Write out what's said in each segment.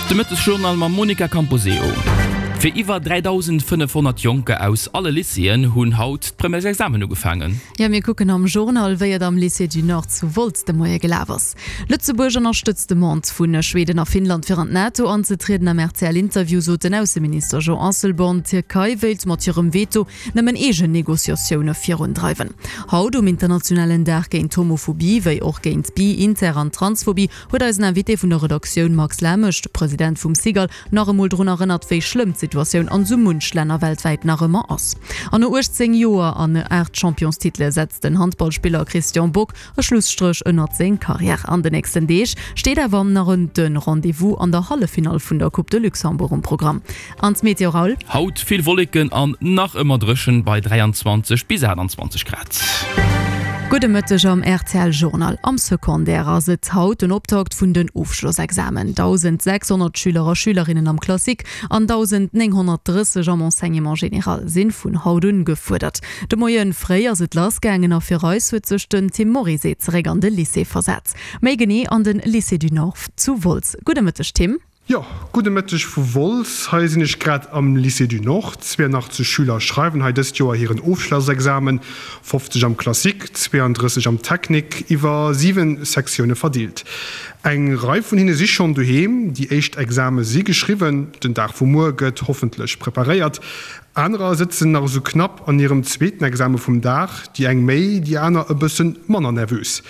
De Mëttesjournal mam Monica Camposeo. Fir iwwer 3.500 Jonker aus alle Lycéeën hunn haut d'Premièresexamen ugefaangen. Jo, mir kucken am Journal, wéi et am Lycée du Nord zu Wolz de Moie gelaf ass. Lëtzebuerg ënnerstëtzt d'Demande vu Schweden a Finnland fir an d'NATO anzetrieden. Am RTL-Interview sot den Ausseminister Jean Asselborn, d'Tierkei wéilt mat hirem Veto nëmmen eegen Negociatioune virundreiwen. Haut, um internationalen Dag géint d'Homophobie, wéi och géint Bi-, Inter an Transphobie, huet eisen Invité vun der Redaktioun Max Lamesch, de President vum SIGAL, nach emol drun erënnert, wéi schlëmm d'Situatioun an sou munch Länner weltwäit nach ëmmer ass. An no 18 Joer an 8 Championstitele setzt den Handballspiller Christian Bock e Schlusstréch ënnert seng Karriär. An de nächsten Deeg steet awer nach en de Rendez-vous an der Halleffinall vun der Coupe de Luxembourg um Programm. An d'Meteo, Raoul? Haut vill Wolleken an nach ëmmer dréchen bei 23 bis 28 Grad. Gudde Mëtteg am rtl Journal. Am Secondaire ass et haut den Optakt vun den Ofschlossexamen. 1.600 Schüler a Schülerinnen am Classique an 1.930 am Enseignement général sinn vun haut un gefuerdert. De Moien fréi ass et lass gaangen a fir eis huet sech den Tim Morizet zeréck an de Lycée versat. Méi genee an den Lycée du Nord zu Wolz. Gudde Mëtteg Tim. Jo, gudde Mëtteg vu Wolz. Hei sinn ech grad am Lycée du Nord. 82 Schüler schreiwen hei dëst Joer hiren Ofschlossexamen, 50 am Classique, 32 am Technique, iwwer 7 Sektioune verdeelt. Eng Rei vun hinne si schonn doheem, déi éischt Exame si geschriwwen, den Dag vu muer gëtt hoffentlech preparéiert. Anerer sëtzen nach esou knapp an hirem zweeten Exame vum Dag, déi eng méi, déi aner e bësse manner nervös.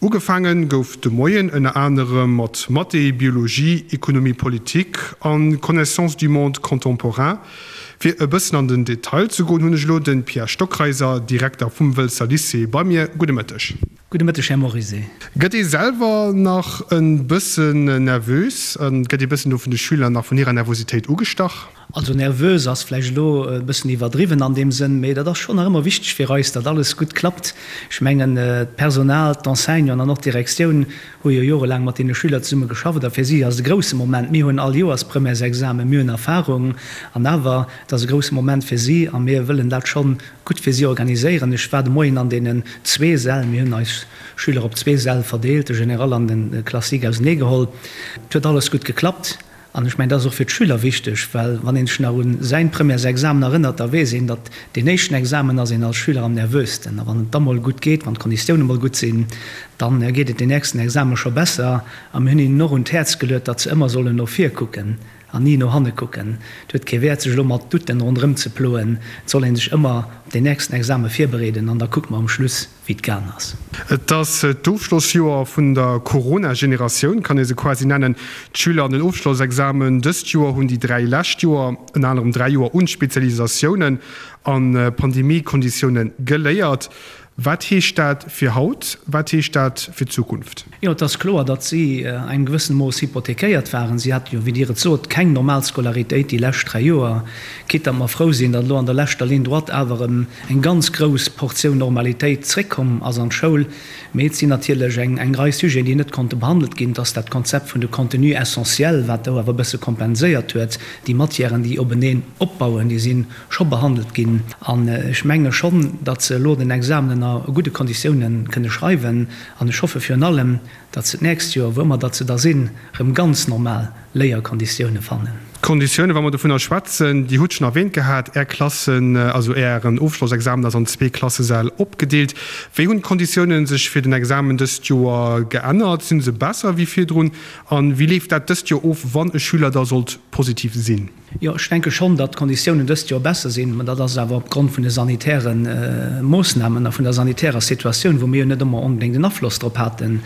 Ugefaange gouf de Moien ënner anerem mat Mathé, Biologie, Économie politique an Connaissance du monde contemporain. Fir e bëssen an den Detail ze goen, hunn ech elo de Pierre Stockreiser, Direkter vum Wëlzer Lycée bei mir. Gudde Mëtteg. Gudde Mëtteg, Här Morizet. Gëtt ee selwer nach e bëssen nervös? Gëtt ee bëssen do vun de Schüler nach vun hirer Nervositéit ugestach? Also nervös ass vläicht elo e bëssen iwwerdriwwen an deem Sënn, mee dat ass schonn nach ëmmer wichteg fir eis, datt alles gutt klappt. Ech mengen, d'Personal, d'Enseignanten an och d'Direktioun hu jo jorelaang mat deene Schüler zesumme geschafft a fir si ass et e grousse Moment. Mir hunn all Joers Premièresexamen, mir hunn Erfahrung an awer, et ass e grousse Moment fir si a mir wëllen dat schonn gutt fir si organiséieren. Ech war de Moien an deenen zwee Säll, mir hunn eis Schüler op zwee Säll verdeelt, de Général an de Classique auseneegeholl. Et huet alles gutt geklappt. An ech mengen, dat ass och fir d'Schüler wichteg, well wann ee sech nach u säin Premièresexamen erënnert, da weess een, datt deen éischten Examen ass een als Schüler am nervösten. A wann et da mol gutt geet, wann d'Konditioune mol gutt sinn, da geet et deen nächsten Examen scho besser. A mir hunn hinnen och un d'Häerz geluet, datt se ëmmer sollen no vir kucken an ni no hanne kucken. Et huet kee Wäert, sech elo mat Doutten ronderëm ze ploen. Et soll ee sech ëmmer op deen nächsten Examen virbereeden an da kucke mer um Schluss, wéi et gaang ass. Et ass d'Ofschlossjoer vun der Corona-Generatioun, kann ee se quasi nennen. D'Schüler an den Ofschlossexamen dëst Joer hunn déi 3 lescht Joer, ënner anerem 3 Joer un Spezialisatiounen a Pandemie-Konditioune geléiert. Wat heescht dat fir haut? Wat heescht dat fir d'Zukunft? Jo, et ass kloer, datt si a engem gewëssene Mooss hypothekéiert waren. Si hate jo, wéi Dir et sot, keng normal Scolaritéit déi lescht 3 Joer. Quitte datt mer frou sinn, datt elo an der leschter Ligne droite awer erëm eng ganz grouss Portioun Normalitéit zréckkomm ass an d'Schoul. Mee et sinn natierlech eng eng Rei Sujeten, déi net konnte behandelt ginn. Et ass dat Konzept vun de Contenus essentiels, wat do awer e bësse kompenséiert huet. Déi Matièren, déi openeen opbauen, déi si scho behandelt ginn. An ech menge schonn, datt se elo den Examen ënner gudde Konditiounen kënne schreiwen. An ech hoffe virun allem, datt se d'nächst Joer, wou ëmmer datt se da sinn, erëm ganz normal Léierkonditioune fannen. D'Konditiounen, wa mer dovunner schwätzen, Dir hutt schonn erwähnt gehat, Är Klassen, also Ären Ofschlossexamen ass an zwee Klassesäll opgedeelt. Wéi hunn d'Konditiounen sech fir den Examen dëst Joer geännert? Sinn se besser wéi virdrun? A wéi leeft dat dëst Joer of, wann e Schüler da sollt positiv sinn? Jo, ech denke schonn, datt d'Konditiounen dëst Joer besser sinn. Mä dat ass awer opgrond vun de sanitäre Moossnamen a vun der sanitärer Situatioun, wou mir jo net ëmmer onbedéngt en Afloss drop haten.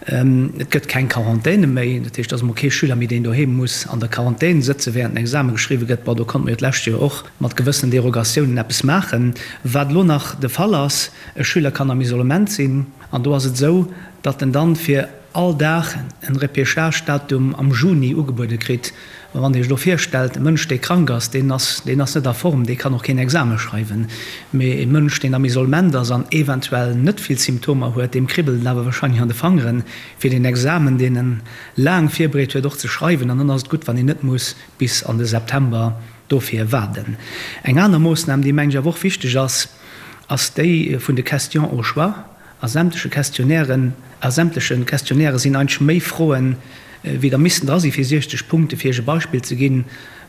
Et gëtt keng Quarantäne méi. Dat heescht, et ass emol kee Schüler méi, deen doheem muss an der Quarantän sëtze während den Exame geschriwwe gëtt. Bon, do konnte mer jo d'lescht Joer och mat gewëssenen Derogatiounen eppes maachen. Wat elo nach de Fall ass, E Schüler kann am Isolement sinn an do ass et esou, datt en dann fir all Dag en Repêchage-Datum am Juni ugebuede kritt. Mä wann Dir Iech elo virstellt, e Mënsch, dee krank ass, deen ass, deen ass net a Form, dee kann och keen Exame schreiwen. Mee e Mënsch, deen am Isolement ass an eventuell net vill Symptomer huet, deem kribbelt et awer wahrscheinlech an de Fangeren, fir deen Examen, deen en laang virbereet huet, och ze schreiwen. An dann ass et gutt, wann een net muss bis an de September dofir waarden. Eng aner Moossnam, déi, mengen ech, awer och wichteg ass, ass déi vun de Questions au choix. A sämtleche Questionnairen, a sämtleche Questionnairë sinn eigentlech méi Froen. wéi der missten dra si fir 60 Punkte. Fir Iech e Beispill ze ginn,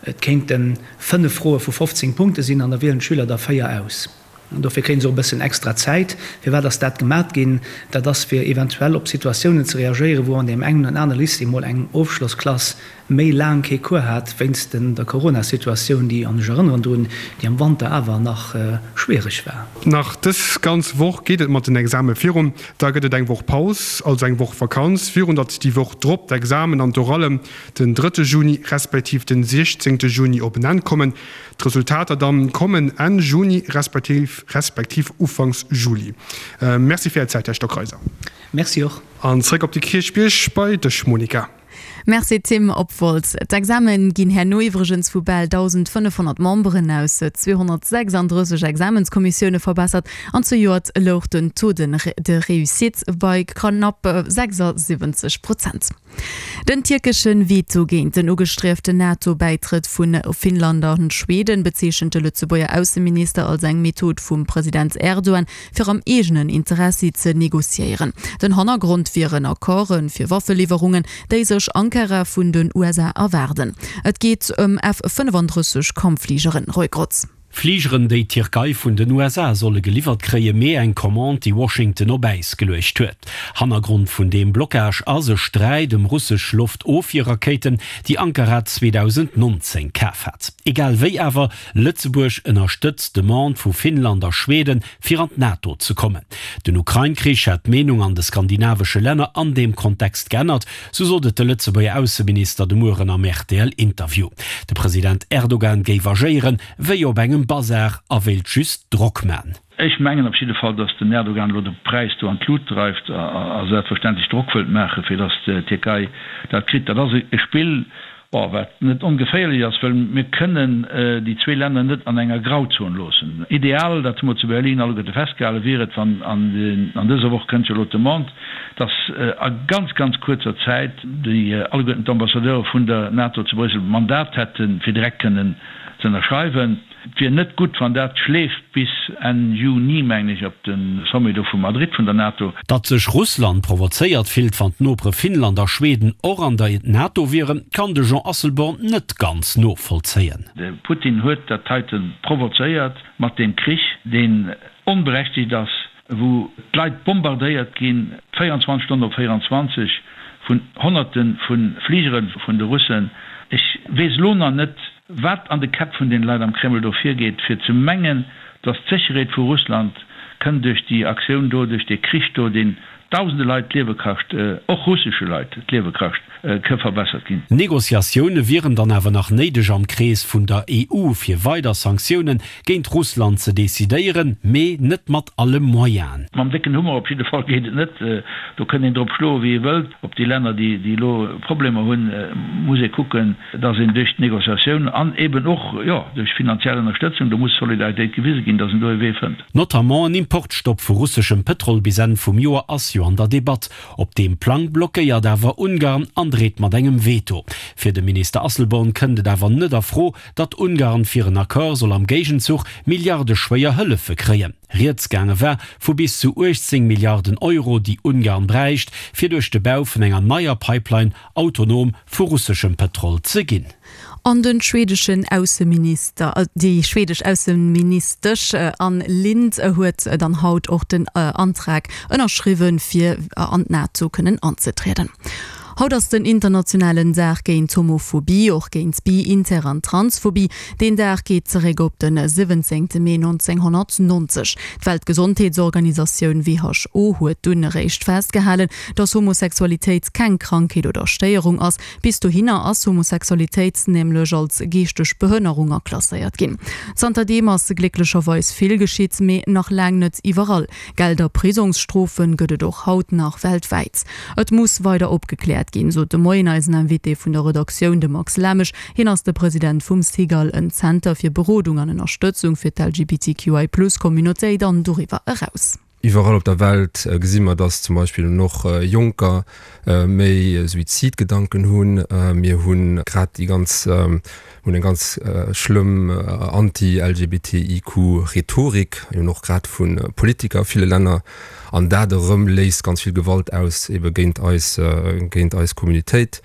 Et kéinte 5 Froe vu 15 Punkte sinn an da wielen d'Schüler der 4 aus. An dofir kréie se och e bëssen extra Zäit. Firwat ass dat gemat ginn? Dat ass fir eventuell op Situatiounen ze reagéieren, wou an deem engen oder anere Lycée mol eng Ofschlossklass méi laang kee Cours hat wéinst der Corona-Situatioun, déi, an ech erënneren drun, déi am Wanter awer nach schwiereg war. Nach dës ganz Woch geet et mat den Exame virun. Da gëtt et eng Woch Paus, also eng Woch Vakanz, virun datt déi Woch drop d'Examen an d'Orallen den drëtte Juni respektiv den 16 Juni op en Enn kommen. D'Resultater dann kommen Enn Juni respektiv respektiv Ufanks Juli. Merci fir Är Zäit, Här Stockreiser. Merci och. An zréck op de Kierchbierg bei dech, Monica. Merci Tim. Op Wolz. D'Examen ginn herno iwwregens vu bal 1.500 Memberen aus 236 Examenskommissioune verbessert an zejoert louch den Taux de réussite bei knapp 76 Prozent. Den tierkesche Veto géint den ugestrieften NATO-Bäitrëtt vu Finnland a Schweden bezeechent de Lëtzebuerger Ausseminister als eng Method vum President Erdogan, fir am eegenen Interessi ze negociéieren. Den Hannergrond wieren Accorde fir Waffeliwwerungen, déi sech Ankara vun den USA erwaarden. Et geet ëm F 35 Kampffligeren. Roy Grotz. Fligeren, déi d'Tierkei vun den USA solle geliwwert kréien, mee eng Commande, déi Washington op Äis geluecht huet. Hannergrond vun deem Blockage ass e Sträit ëm russesch Loftofwierrakéiten, déi Ankara 2019 kaf hat. Egal wéi awer, Lëtzebuerg ënnerstëtzt d'Demande vu Finnland a Schweden, fir an d'NATO ze kommen. Den Ukrain-Krich hätt d'Meenung an de skandinavesche Länner an deem Kontext geännert, Sou sot et de Lëtzebuerger Ausseminister de Mueren am RTL-Interview. De President Erdogan géif agéieren, wéi op engem Bazar a wéilt just Drock man. Ech mengen op jidde Fall, datt den Erdogan elo de Präis do an d'Lut dreift a selbstverständlech Drock wëllt maachen, fir datt d'Tierkei dat kritt. Dat ass e Spill, bon, wat net ongeféierlech ass, well mir kënnen déi zwee Länner net an enger Grauzon loossen. Ideal, dat hu mer zu Berlin alleguerte festgehalen, wier et, wann an dëser Woch kënnt jo elo d'Demande, dass a ganz, ganz kuerzer Zäit déi alleguerten d'Ambassadeure vun der NATO zu Bréissel d'Mandat hätten, fir direkt kënnen ze ënnerschreiwen. Et wier net gutt, wann dat schleeft bis Enn Juni, mengen ech, op de Sommet do vu Madrid vun der NATO. Datt sech Russland provozéiert fillt, wann d'Nopere Finnland a Schweden och an der NATO wieren, kann de Jean Asselborn net ganz novollzéien. De Putin huet dat heite provozéiert mat deem Krich, deen onberechtegt ass, wou d'Leit bombardéiert ginn, 24 Stonnen op 24, vun Honnerte vu Fligere vun de Russen. Ech weess elo nach net, Wat an de Käpp vun den Leit am Kreml do virgeet, fir ze mengen, datt d'Sécherheet vu Russland kënn duerch déi Aktioun do, duerch dee Krich do, deen dausende Leit d'Liewe kascht, och russesche Leit d'Liewe kascht, ke verbessert ginn. Negociatioune wieren dann awer nach néideg am Krees vun der EU, fir weider Sanktioune géint Russland ze decidéieren, mee net mat alle Moyenen. Mam décken Hummer op jidde Fall geet et net. Do kënn een drop schloe wéi ee wëllt. Op déi Länner, déi elo Problemer hunn, muss ee kucken, dass een duerch d'Négociatioun an eben och, jo, duerch finanziell Ënnerstëtzung, do muss Solidaritéit gewise ginn, dass een do e Wee fënnt. Notamment en Importstopp vu russeschem Pëtrol bis Enn vum Joer ass jo an der Debatt. Op deem Plang blockéiert awer Ungarn an dreet mat engem Veto. Fir de Minister Asselborn kënnt et awer net a Fro, datt Ungarn fir en Accord soll am Géigenzuch milliardeschwéier Hëllefe kréien. Rieds gaange war vu bis zu 18 Milliarden Euro, déi Ungarn bräicht, fir duerch de Bau vun enger neier Pipeline autonom vu russeschem Pëtrol ze ginn. An den schwedeschen Ausseminister, déi schwedesch Ausseministesch Ann Linde huet dann haut och den Antrag ënnerschriwwen, fir an d'NATO kënnen anzetrieden. Haut ass den internationalen Dag géint Homophobie, och géint Bi-, Inter an Transphobie. Deen Dag geet zeréck op de 17 Mee 1990. D'Weltgesondheetsorganisatioun WHO huet dunn eréischt festgehalen, dass Homosexualitéit keng Krankheet oder Stéierung ass. Bis dohinner ass Homosexualitéit nämlech als geeschteg Behënnerung aklasséiert ginn. Zanterdeem ass glécklecherweis vill geschitt, mee nach laang net iwwerall. Geld a Prisongsstrofen gëtt et och haut nach weltwäit. Et muss weider opgekläert ginn, sot de Moien eisen Invité vun der Redaktioun, de Max Lamesch. Hien ass de President vum SIGAL, en Zenter fir Berodung an Ënnerstëtzung fir d'LGBTQI-Plus-Communautéit an doriwwer eraus. Iwwerall op der Welt gesi mer, dass zum Beispill och Jonker méi Suizidgedanken hunn. Mir hu grad déi ganz, hunn eng ganz schlëmm anti-LGBTIQ-Rhetorik, eben och grad vu Politiker a ville Länner. An dat erëm léist ganz vill Gewalt aus, ebe géint eis, géint eis Communautéit.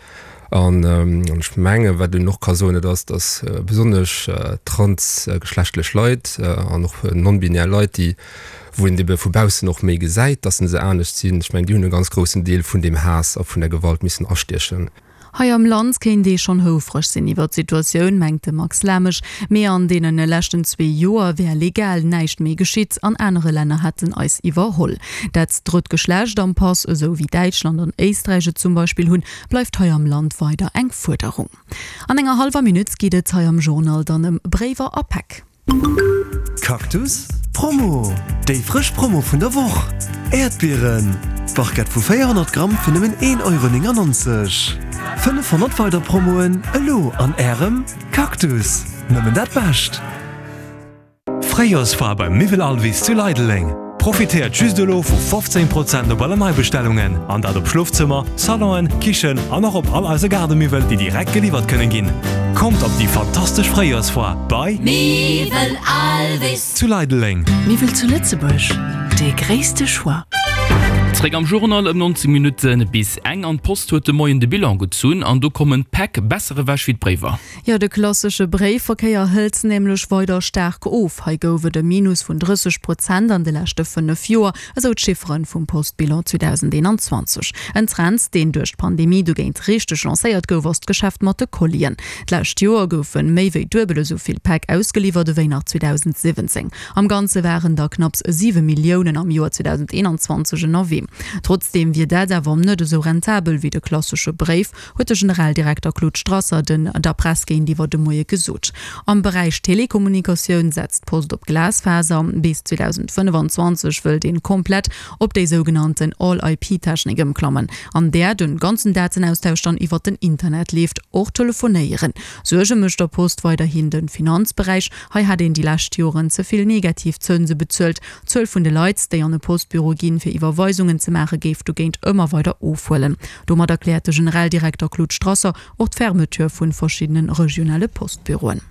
An ech mengen, wat een och ka soen, dat ass, datt besonnesch transgeschlechtlech Leit an och non-binär Leit, déi, wou een ebe vu baussen och méi gesäit, datt se anescht sinn, ech mengen, déi hunn e ganz groussen Deel vun deem Haass a vun der Gewalt missen astiechen. Hei am Land kéint ee schonn houfreg sinn iwwer d'Situatioun, mengt de Max Lamesch. Mee an deene leschten zwee Joer wär legal näischt méi geschitt an anere Länner hätten eis iwwerholl. Dat drëtt Geschlecht am Pass, esou wéi Däitschland an Éisträich et zum Beispill hunn, bleift hei am Land weider eng Fuerderung. An enger hallwer Minutt geet et hei am Journal dann ëm Bréiwer a Päck. Cactus Promo, Déi frësch Promo vun der Woch! Äerdbieren, Barquette vu 400 Gramm fir nëmmen 1,99 Euro. 500 weider Promoen elo an Ärem Cactus! Nëmmen dat Bescht! Fréijorsfoire beim Miwwel Alvis zu Leideleng. Profitéiert just elo vu 15 Prozent op alle Neibestellungen, an dat op Schlofzëmmer, Salonen, Kichen an och op all eise Gaardemiwwel, déi direkt geliwwert kënnen ginn. Kommt op déi fantastesch Fréijorsfoire bei Miwwel Alvis zu Leideleng. Miwwel zu Lëtzebuerg, dee gréisste Choix. Zréck am Journal ëm 19 Minutte bis eng an d'Post huet de Moien de Bilan gezunn an do kommen d'Päck besser ewech wéi d'Bréiwer. Jo, de klassesche Bréifverkéier hëlt nämlech weider staark of. Hei gouf et e Minus vun 30 Prozent an de leschte 5 Joer, esou d'Chiffere vum Postbilan 2021. En Trend, deen duerch d'Pandemie dogéint richteg lancéiert gouf, ass d'Geschäft mat de Collien. D'lescht Joer goufe méi wéi duebel esou vill Päck ausgeliwwert ewéi nach 2017. Am Ganze waren der knapps 7 Milliounen am Joer 2021 ënnerwee. Trotzdeem wier dat awer net esou rentabel wéi de klassesche Bréif, huet de Generaldirekter Claude Strasser den der Press géintiwwer de Moie gesot. Am Beräich Telekommunikatioun setzt d'Post op Glasfaser. Bis 2025 wëllt een komplett op déi sougenannten All-IP-Technik ëmklammen, an där den ganzen Datenaustausch dann iwwert den Internet leeft, och Telefonéieren. Suerge mécht der Post weiderhin de Finanzberäich. Hei hätt een déi lescht Joren ze vill negativ Zënse bezuelt. D'Zuel vun de Leit, déi an e Postbüro ginn, fir Iwwerweisungen ze maachen, géif dogéint ëmmer weider ofhuelen. Domat erkläert de Generaldirekter Claude Strasser och d'Fermeture vu verschiddene regionale Postbüroen.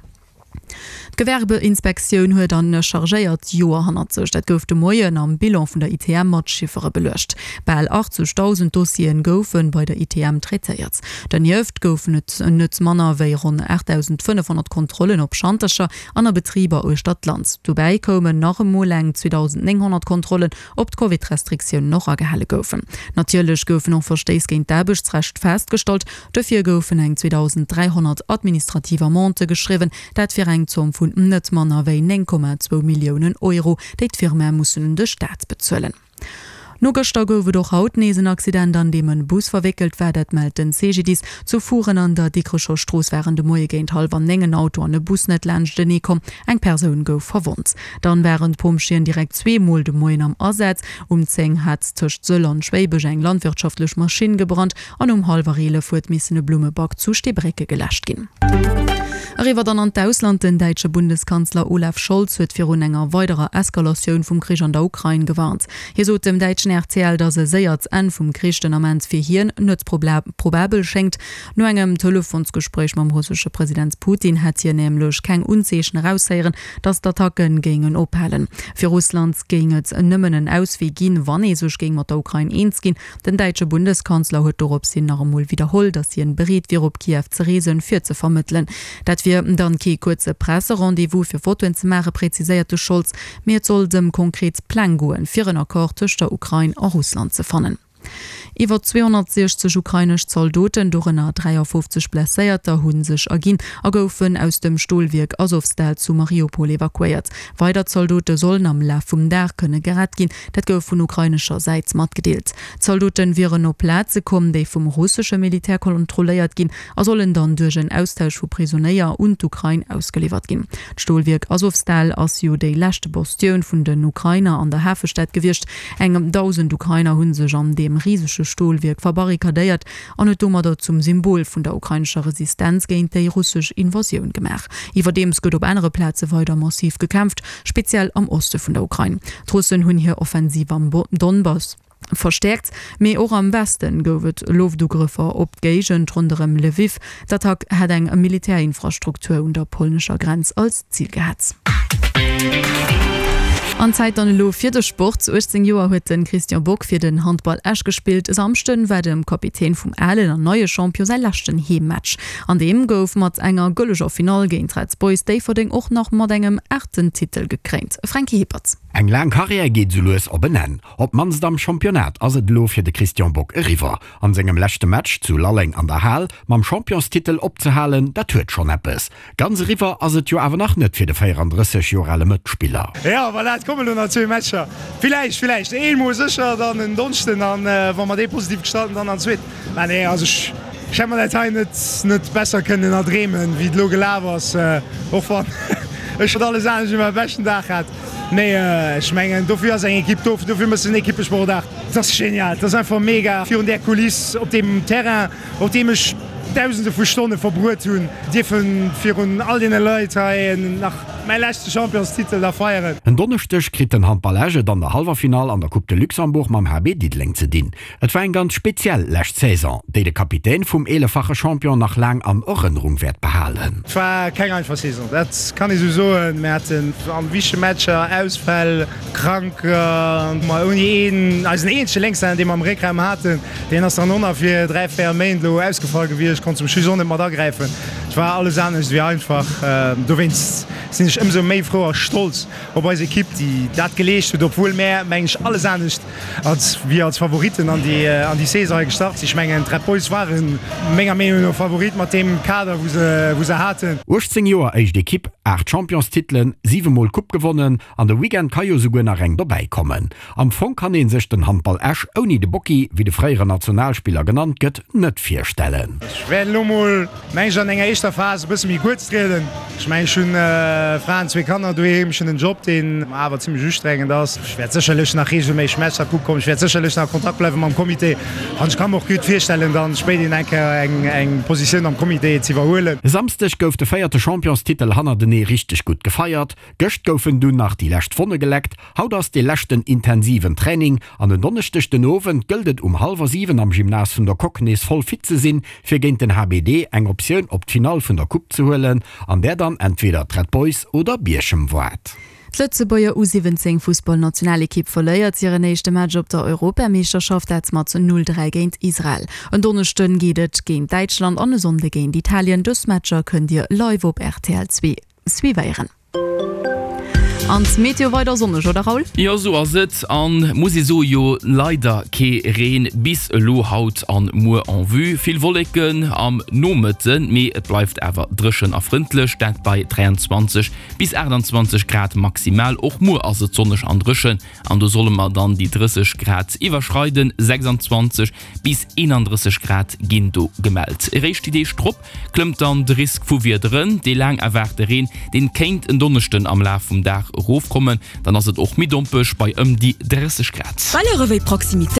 D'Gewerbeinspektioun huet en chargéiert Joer hannert sech. Dat gouf de Moien am Bilan vun der ITM mat Chiffere beluecht. Bal 80.000 Dossieren goufe bei der ITM traitéiert. Donieft goufen et net manner wéi ronn 8.500 Kontrollen op Schantercher an a Betriber uechter d'Land. Dobäi koumen nach emol eng 2.900 Kontrollen ob d'Covid-Restriktiounen och agehale goufen. Natierlech goufen och Verstéiss géint d'Aarbechtsrecht festgestallt. Dofir goufen eng 2.300 administrativ Amendë geschriwwen, dat fir eng Zomm vun net manner wéi 9,2 Milliounen Euro, déi d'Firmae mussen un de Staat bezuelen. No gëschter gouf et och haut nees en Accident, an deem en Bus verwéckelt war. Dat mellt den CGDIS. Zu Furen an der Dikrecher Strooss waren de Moie géint hallwer 9 en Auto an e Bus net laanschtenee komm. Eng Persoun gouf verwonnt. Dann waren d'Pompjeeën direkt zweemol de Moien am Asaz. Um 10 hat tëscht Sëll an Schwéibech eng landwirtschaftlech Maschinn gebrannt an um hallwer 11 huet missen e Blummeback zu Steebrécke geläscht ginn. Eriwwer dann an d'Ausland, Den däitsche Bundeskanzler Olaf Scholz huet virun enger weiderer Eskalatioun vum Krich an der Ukrain gewarnt. Hie sot dem däitschen rtl, datt e séiert Enn vum Krich den Ament fir hien net probabel schéngt. No engem Telefonsgespréich mam russesche President Putin hätt hien nämlech keng Unzeechen eraushéieren, datt d'Attacke géingen ophalen. Fir Russland géing et nëmmen en Auswee ginn, wann ee sech géing mat der Ukrain eens ginn. Den däitsche Bundeskanzler huet dorops hin nach emol widderholl, datt hien bereet wier op Kiew ze reesen, fir ze vermëttelen. Dat wier dann kee kuerze Presse-Rendez-vous fir Fotoen ze maachen, präziséiert de Scholz, mee et sollt ëm konkret Pläng goen, fir en Accord tëscht der Ukrain a Russland ze fannen. Iwwer 260 ukrainesch Zaldoten, dorënner 53 Blesséierter, hu sech erginn a goufen aus dem Stolwierk Asowstal zu Mariupol evakuéiert. Weider Zaldote sollen am Laf vum Dag kënne gerett ginn, dat gouf vun ukrainescher Säit matgedeelt. D'Zaldote wieren op Plaze komm, déi vum russesche Militär kontrolléiert ginn a sollen dann duerch en Austausch vu Prisonéier un d'Ukrain ausgeliwwert ginn. D'Stolwierk Asowstal ass jo déi lescht Bastioun vun den Ukrainer an der Hafestad gewiescht. Eng 1.000 Ukrainer hu sech an deem. deem risege Stolwierk verbarrikadéiert an huet domadder zum Symbol vun der ukrainescher Resistenz géint déi russesch Invasioun gemaach. Iwwerdeems gëtt op anere Plaze weider massiv gekämpft, speziell am Oste vun der Ukrain. D'Russen hunn hir Offensiv am Donbass verstäerkt, mee och am Weste gouf et Loftugrëffer op d'Géigend ronderëm Lwiw. D'Attack hätt eng Militärinfrastruktur un der polnescher Grenz als Zil gehat. An Zäit dann elo fir de Sport. 18 Joer huet de Christian Bock fir den Handball Esch gespillt. E Samschden war dem Kapitän vum alen an neie Champion säi leschten Heemmatch. An deem gouf mat enger gëlleger Finall géint d'Red Boys Déifferdeng och nach mat engem aachten Titel gekréint. Franky Hippert. Eng laang Karriär geet sou lues op en Enn. Op d'mannst am Championnat ass et elo fir de Christian Bock eriwwer. An sengem leschte Match zu Lalleng an der Hal mam Championstitel opzehalen, dat huet schonn eppes. Ganz eriwwer ass et jo awer nach net fir de 34 Joer ale Mëtspiller. Jo, voilà, et kommen elo nach zwee Matcher. Villäicht, villäicht een mol sécher, dann en Donneschden an wa mer dee positiv gestalten, dann an zweeten. Mä nee, also ech hätt mer dat hei net, net besser kënnen erdreemen, wéi et elo gelaf ass, och wann ech net alles anescht wéi mäi beschten Dag hat. Mee ech mengen, dofir ass eng Ekipp do, dofir méchs de en Ekippesport. Et ass genial, et ass einfach mega virun där Kuliss op deem Terrain, op deem ech Dausende vu Stonne verbruet hunn, dierfe virun all deene Leit hei nach mäi leschte Championstitel da feieren. En Donneschdeg kritt den Handball Esch et an der Hallwerfinall an der Coupe de Luxembourg mam HB Diddeleng ze dinn. Et war eng ganz speziell lescht Saison, déi de Kapitän vum eeleffache Champion nach laang an Erënnerung wäert behalen. Et war keng einfach Saison, dat kann ee sou soen. Mir haten an wichtege Matcher Ausfäll, Kranker, ma ouni een, eisen eenzege Lénkshänner, dee mer am Réckraum haten, deen ass dann och nach fir 3, 4 Méint elo ausgefall gewiescht, konnt zum Schluss och net mat agräifen. Et war alles anescht ewéi einfach. Dowéinst sinn ech ëmsou méi frou a stolz op eis Ekipp, déi dat geleescht huet, obwuel mär, mengen ech, alles anescht als wéi als Favoritten an déi an déi Saison hei gestart sinn. Ech mengen, d'Red Boys waren menger Meenung no Favorit mat deem Kader, wou se wou se haten. 18 Joer éischt Ekipp, 8 Championstitelen, 7 mol Coupe gewonnen an de Weekend ka jo souguer nach eng dobäi kommen. Am Fong kann ee sech den Handball Esch ouni de Bocki, wéi de fréieren Nationalspiller genannt gëtt, net virstellen. Ech wäert elo mol, meng ech, an enger éischter Phas e bësse méi kuerz trieden. Ech mengen, ech hunn Fra an zwee Kanner doheem, ech hunn en Job, deen awer zimmlech ustrengend ass. Ech wäert sécherlech nach reegelméisseg Matcher kucke kommen, ech wäert sécherlech nach a Kontakt bleiwe mam Comité an ech ka mer och gutt virstellen, dann spéiderhin eng Kéier eng Positioun am Comité z'iwwerhuelen. E Samsdeg gouf de véierte Championstitel hannertenee richteg gutt gefeiert. Gëscht goufen dunn nach déi lescht Wonne geleckt. Haut ass dee leschten intensiven Training an en Donneschdeg den Owend gëllt et um hallwer 7 am Gymnase vun der Coque nees voll fit ze sinn, fir géint den HBD eng Optioun op d'Finall vun der Coupe ze huelen, an där dann entweder d'Red Boys oder Bierchem waart. D'Lëtzebuerger U 17 Fussballnationalekipp verléiert hiren éischte Match op der Europameeschterschaft, dat mat 0, 3 géint Israel. En Donneschden geet et géint Däitschland an e Sonnde géint Italien. Dës Matcher kënnt dir live op rtl 2 suivéieren. An d'Meteo weider sonneg, oder Raoul? Jo sou ass et, an muss ee soe jo leider kee Reen bis elo haut an muer en vue. Vill Wolleken am Nomëtten, mee et bleift awer dréchen a frëndlech, dat bei 23 bis 28 Grad maximal. Och muer ass et sonneg an dréchen an do solle mer dann déi 30 Grad iwwerschreiden, 26 bis 31 Grad ginn do gemellt. Eréischt déi Deeg drop klëmmt dann de Risk vu Wiederen. Dee laang erwaarte Reen, deen kéint en Donneschden am Laf vum Dag erofkommen. Dann ass et och méi dompeg bei ëm déi 30 Grad. Valeuren wéi Proximitéit.